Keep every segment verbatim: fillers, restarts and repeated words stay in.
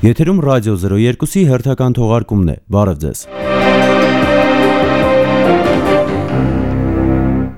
Եթերում ռադիո զրո երկուսի հերթական թողարկումն է, բարև ձեզ։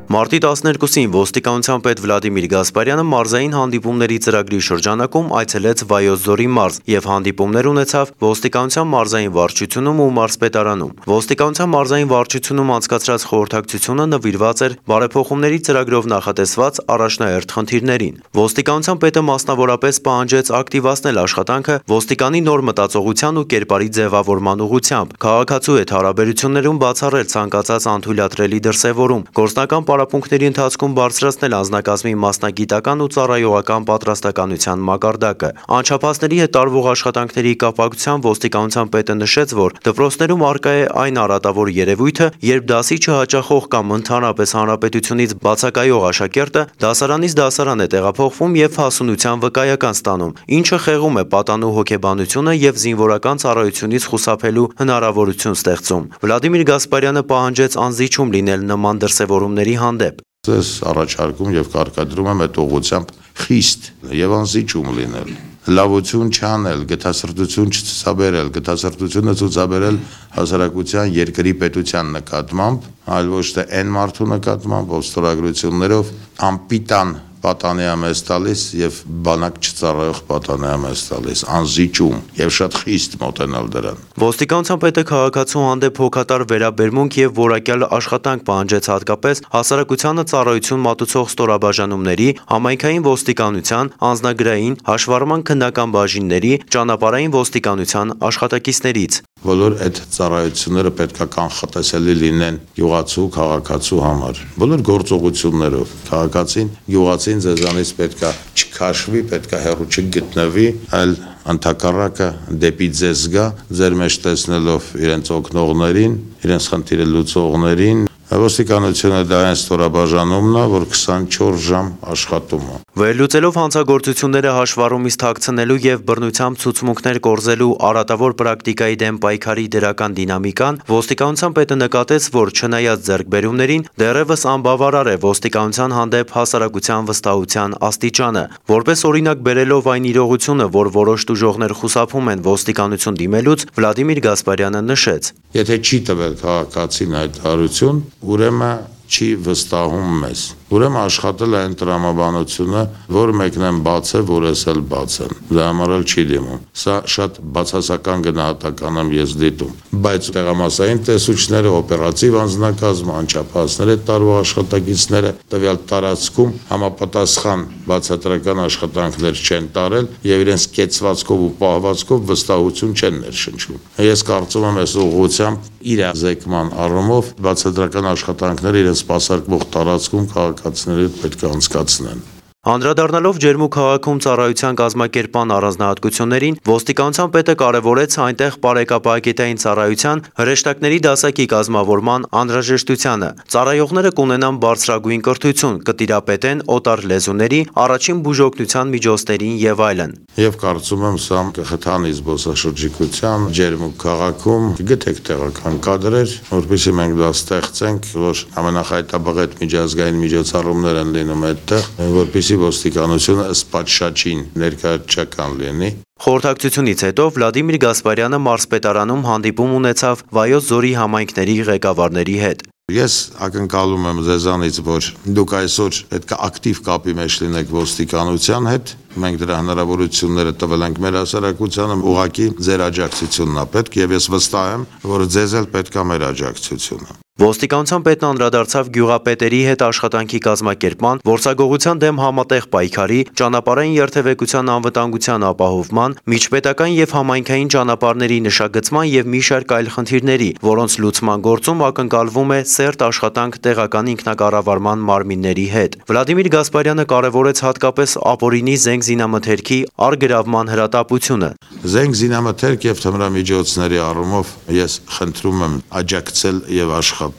Մարտի տասներկուսին ոստիկանության պետ Վլադիմիր Գասպարյանը մարզային հանդիպումների ծրագրի շրջանակում այցելեց Վայոց ձորի մարզ և հանդիպումներ ունեցավ ոստիկանության մարզային վարչությունում ու մարզպետարանում։ Ոստիկանության մարզային վարչությունում անցկացրած խորհրդակցությունը նվիրված էր բարեփոխումների ծրագրով նախատեսված առաջնահերթ խնդիրներին։ Ոստիկանության պետը մասնավորապես պահանջեց ակտիվացնել աշխատանքը ոստիկանի նոր մտածողության ու կերպարի ձևավորման ուղղությամբ, քաղաքացու հետ հարաբերություններում բացառել ցանկացած անթույլատրելի դրսևորում, գործնական պարապմունքների ընթացքում բարձրացնել անձնակազմի մասնագիտական ու ծառայողական պատրաստականության մակարդակը։ Անչափահասների հետ տարվող աշխատանքների կապակցությամբ ոստիկանության պետը նշեց, որ դպրոցներում առկա է այն արատավոր երևույթը, երբ դասի չհաճախող կամ ընդհանրապես հանրապետությունից բացակայող աշակերտը դասարանից դասարան է տեղափոխվում և հասունության վկայական ստանում, ինչը խեղում է պատանու հոգեբանությունը և զինվորական ծառայությունից խուսափելու հնարավորություն ստեղծում։ Վլադիմիր Գասպարյանը պահանջեց անզիջում լինել նման դրսևորումների հանդեպ։ Ձեզ առաջարկում և կարգադրում եմ այդ ուղղությամբ խիստ և անզիջում լինել, լավություն չանել, գթասրտություն չցուցաբերել, գթասրտությունը ցուցաբերել հասարակության երկրի պետության նկատմամբ, այլ ոչ թե այն մարդու նկատմամբ, ով ստորագրություններով անպիտան պատանի է մեզ տալիս և բանակ չծառայող պատանի է մեզ տալիս, անզիջում և շատ խիստ մոտենալ դրան։ Ոստիկանության պետը քաղաքացու հանդեպ հոգատար վերաբերմունք և որակյալ աշխատանք պահանջեց հատկապես հասարակությանը ծառայություն մատուցող ստորաբաժանումների, համայնքային ոստիկանության, անձնագրային, հաշվառման քննական բաժինների, ճանապարհային ոստիկանության աշխատակիցներից։ Բոլոր այդ ծառայությունները պետք է կանխատեսելի լինեն գյուղացու, քաղաքացու համար։ Բոլոր գործողություններով քաղաքացին, գյուղացին ձեզանից պետք է չքաշվի, պետք է հեռու չգտնվի, այլ ընդհակառակը դեպի ձեզ գա, ձեր մեջ տեսնելով իրենց օգնողներին, իրենց խնդիրը լուծողներին։ Ոստիկանությունը դա այն ստորաբաժանումն է, որ քսանչորս ժամ աշխատում է։ Վերլուծելով հանցագործությունները հաշվառումից թաքցնելու և բռնությամբ ցուցմունքներ կորզելու արատավոր պրակտիկայի դեմ պայքարի դրական դինամիկան, ոստիկանության պետը նկատեց, որ չնայած ձեռքբերումներին, դեռևս անբավարար է ոստիկանության հանդեպ հասարակության վստահության աստիճանը։ Որպես օրինակ բերելով այն իրողությունը, որ որոշ տուժողներ խուսափում են ոստիկանություն դիմելուց, Վլադիմիր Գասպարյանը նշեց. Եթե չի տվել քաղաքացին հայտարարություն, ուրեմն չի վստահում մեզ։ Ուրեմն աշխատել է այն տրամաբանությունը, որ մեկն են բաց է, որ ես էլ բաց եմ։ Դա համար էլ չի դիմում։ Սա շատ բացասական գնահատական եմ ես դիտում։ Բայց տեղամասային տեսուչները, օպերատիվ անձնակազմը, անչափահասներ հետ տարվող աշխատակիցները տվյալ տարածքում համապատասխան բացատրական աշխատանքներ չեն տարել եւ իրենց կեցվածքով ու պահվածքով վստահություն չեն ներշնչում։ Ես կարծում եմ, այս ուղղությամբ իրազեկման առումով բացատրական աշխատանքները իրենց սպասարկվող տարածքում քաղաքացիների հետ պետք է անցկացնեն։ Անդրադառնալով Ջերմուկ քաղաքում ծառայության կազմակերպման առանձնահատկություններին, ոստիկանության պետը կարևորեց այնտեղ պարեկապակետային ծառայության հրեշտակների դասակի կազմավորման անհրաժեշտությանը։ Ծառայողները կունենան բարձրագույն կրթություն, կտիրապետեն օտար լեզուների, առաջին բուժօգնության միջոցներին եւ այլն։ Եվ կարծում եմ, սա կխթանի զբոսաշրջիկության Ջերմուկ քաղաքում, գտեք տեղական կադրեր, որպեսզի մենք դա ստեղծենք, որ ամենախայտաբղետ միջազգային միջոցառումներ են լինում այդտեղ, որպեսզի ոստիկանությունը ըստ պատշաճին ներկայացական լինի։ Խորհրդակցությունից հետո Վլադիմիր Գասպարյանը մարզպետարանում հանդիպում ունեցավ Վայոց ձորի համայնքների ղեկավարների հետ։ Ես ակնկալում եմ ձեզանից, որ դուք այսօր պետք է ակտիվ կապի մեջ լինեք ոստիկանության հետ։ Մենք դրա հնարավորությունները տվել ենք մեր հասարակությանը, ուղղակի ձեր աջակցությունն է պետք եւ ես վստահ եմ, որ ձեզ էլ պետք է մեր աջակցությունը։ Ոստիկանության պետն անդրադարձավ գյուղապետերի հետ աշխատանքի կազմակերպման, որսագողության դեմ համատեղ պայքարի, ճանապարհային երթևեկության անվտանգության ապահովման, միջպետական եւ համայնքային ճանապարհների նշագծման եւ մի շարք այլ խնդիրների, որոնց լուծման գործում ակնկալվում է սերտ աշխատանք տեղական ինքնակառավարման մարմինների հետ։ Վլադիմիր Գասպարյանը կարևորեց հատկապես ապօրինի զենք զինամթերքի առգրավման հրատապությունը։ Զենք զինամթերք եւ թմրամիջոցների առումով ես խնդրում եմ աջակցել եւ աշխատել։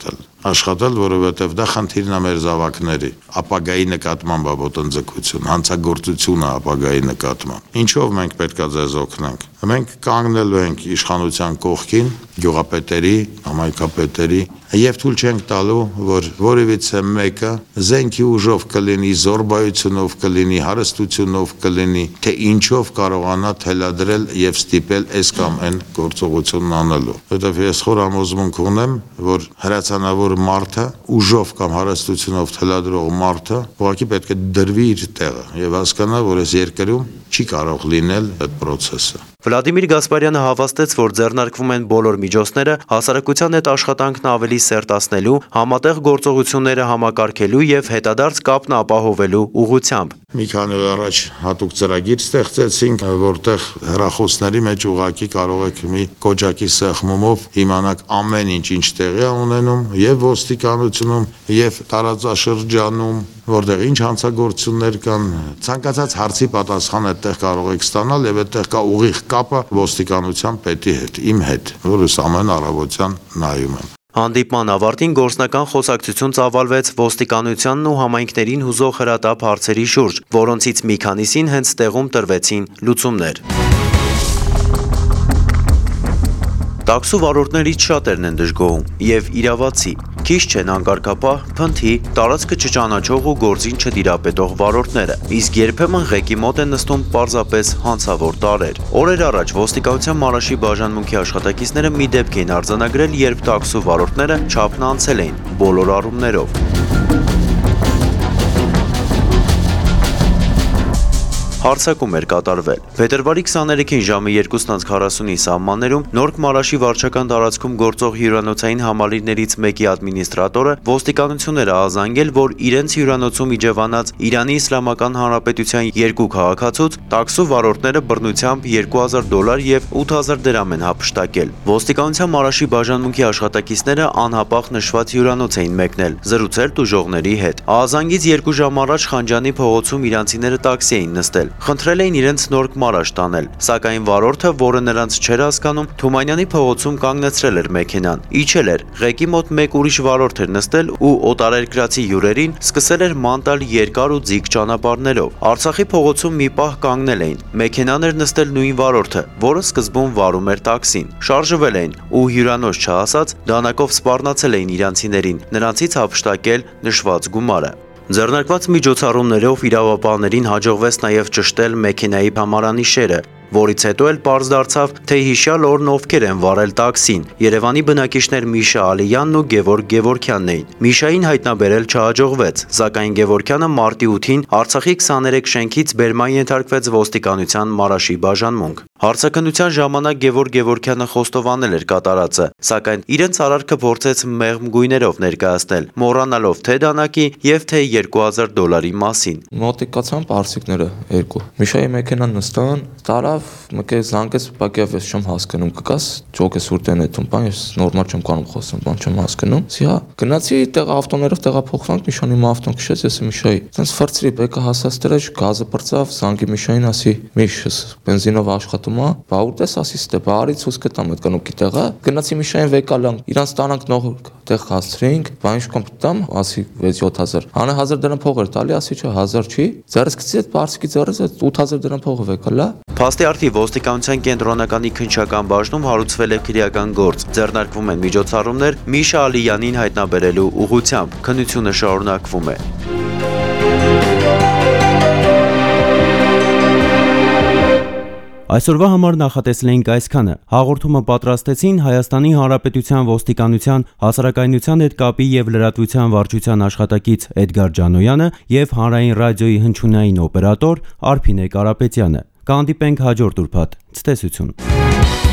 Աշխատել, որովհետև դա խնդիրն է մեր զավակների, ապագայի նկատմամբ ոտնձգություն, հանցագործությունը ապագայի նկատմամբ։ Ինչով մենք պետք է ձեզ օգնենք։ Մենք կանգնելու ենք իշխանության կողքին, գյուղապետերի, համայնքապետերի, եւ թույլ չենք տալու, որ որևիցե մեկը զենքի ուժով կլինի, զորբայությունով կլինի, հարստությունով կլինի, թե ինչով կարողանա թելադրել եւ ստիպել այս կամ այն գործողությունն անելու։ Որտեւ ես խոր համոզմունք ունեմ, որ հրացանավոր մարդը ուժով կամ հարստությունով թելադրող մարդը ուղղակի պետք է դրվի իր տեղը եւ հասկանա, որ այս երկրում չի կարող լինել այդ process-ը։ Վլադիմիր Գասպարյանը հավաստեց, որ ձեռնարկվում են բոլոր միջոցները հասարակության հետ աշխատանքն ավելի սերտացնելու, համատեղ գործողությունները համակարգելու եւ հետադարձ կապն ապահովելու ուղղությամբ։ Մի քանի օր առաջ հատուկ ծրագիր ստեղծեցինք, որտեղ հեռախոսների մեջ ուղղակի կարող եք մի կոճակի սեղմումով իմանալ ամեն ինչ ինչ տեղի է ունենում եւ ոստիկանությունում եւ տարածաշրջանում, որտեղ ինչ հանցագործություններ կան, ցանկացած հարցի պատասխան այդտեղ կարող եք ստանալ եւ այդտեղ կա ուղիղ կապը ոստիկանության պետի հետ, իմ հետ, որս ամեն առավոտյան նայում եմ։ Հանդիպման ավարտին գործնական խոսակցություն ծավալվեց ոստիկանությանն ու համայնքներին հուզող հրատապ հարցերի շուրջ, որոնցից մի քանիսին հենց տեղում տրվեցին լուծումներ։ Տաքսու վարորդներից շատերն են դժգոհում եւ իրավացի, քիչ չեն անկարգապահ, փնթի, տարածքը չճանաչող ու գործին չտիրապետող վարորդները, իսկ երբեմն ղեկի մոտ են նստում պարզապես հանցավոր տարրեր։ Օրեր առաջ ոստիկանության Մարաշի բաժանմունքի աշխատակիցները մի դեպք էին արձանագրել, երբ տաքսու վարորդները չափն անցել էին բոլոր առումներով։ Հարցակում էր կատարվել։ Փետրվարի քսաներեքին ժամը երկուսն անց քառասունի սահմաններում Նորք Մարաշի վարչական տարածքում գործող հյուրանոցային համալիրներից մեկի ադմինիստրատորը ոստիկանություն էր ահազանգել, որ իրենց հյուրանոցում իջևանած Իրանի Իսլամական Հանրապետության երկու քաղաքացուց տաքսու վարորդները բռնությամբ երկու հազար դոլար եւ ութ հազար դրամ են հափշտակել։ Ոստիկանության Մարաշի բաժանմունքի աշխատակիցները անհապաղ նշված հյուրանոց էին մեկնել, զրուցել տուժողների հետ։ Ահազանգից երկու ժամ առաջ Խանջանի փողոցում իրանցիները տաքսի էին նստել։ Խնդրել էին իրենց Նորք Մարաշ տանել, սակայն վարորդը, որը նրանց չէր հասկանում, Թումանյանի փողոցում կանգնեցրել էր մեքենան, իջել էր, ղեկի մոտ մեկ ուրիշ վարորդ էր նստել ու օտարերկրացի հյուրերին սկսել էր ման տալ երկար ու ձիգ ճանապարհներով։ Արցախի փողոցում մի պահ կանգնել էին, մեքենան էր նստել նույն վարորդը, որը սկզբում վարում էր տաքսին, շարժվել էին ու հյուրանոց չհասած դանակով սպառնացել էին իրանցիներին, նրանցից հափշտակել նշված գումարը։ Ձեռնարկված միջոցառումներով իրավապահներին հաջողվեց նաև ճշտել մեքենայի փամարանիշերը, որից հետո էլ պարզ դարձավ, թե հիշյալ օրն ովքեր են վարել տաքսին։ Երևանի բնակիչներ Միշա Ալիյանն ու Գևորգ Գևորգյանն էին։ Միշային հայտնաբերել չհաջողվեց, սակայն Գևորգյանը մարտի ութին Արցախի քսաներեք շենքից բերման ենթարկվեց ոստիկանության Մարաշի բաժանմունք։ Հարցաքննության ժամանակ Գևորգ Գևորգյանը խոստովանել էր կատարածը, սակայն իրենց արարքը փորձեց մեղմ գույներով ներկայացնել, մոռանալով թե դանակի եւ թե երկու հազար դոլարի մասին։ Մոտիկացան պարսիկները երկու։ Միշայի մեքենան նստան, տարավ մեկը զանգեց, բակյավ ես չեմ հասկանում, կգաս ջոկես ուրտեն էտում, բան ես նորմալ չեմ կարող խոսեմ, բան չեմ հասկանում։ Սիա գնացի տեղ ավտոներով տեղափոխվանք, Միշանի մա ավտոն քշեց, ես Միշայի։ Տենց ֆրծրի բեկը հասած դրեջ, գազը բրծավ, զանգի Միշային ասի, Միշս բենզինով աշխատում է, բա ուտես ասի ստե, բա արի ցույց կտամ այդ կնոպի տեղը։ Գնացի Միշային վեկալան, իրանց տանանք նող տեղ հասցրինք, բա ինչ կոմ տամ, ասի վեց-յոթ հազար։ Անե հազար դրամ փող էր տալի, ասի չէ, հազար չի։ Ձեռս գցի այդ պարսիկի ձեռս ութ հազար դրամ փողը վեկալա։ Փաստի արդի ոստիկանության կենտրոնականի քննչական բաժնում հարուցվել է քրեական գործ, ձեռնարկվում են միջոցառումներ Միշա Ալիյանին հայտնաբերելու ուղղությամբ, քննությունը շարունակվում է։ Այսօրվա համար նախատեսել էինք այսքանը։ Հաղորդումը պատրաստեցին Հայաստանի Հանրապետության ոստիկանության հասարակայնության հետ կապի եւ լրատվության վարչության աշխատակից Էդգար Ջանոյանը եւ Հանրային ռադիոյի հնչյունային օպերատոր Արփինե Կարապետյանը։ Կհանդիպենք հաջորդ ուրբաթ։ Ցտեսություն։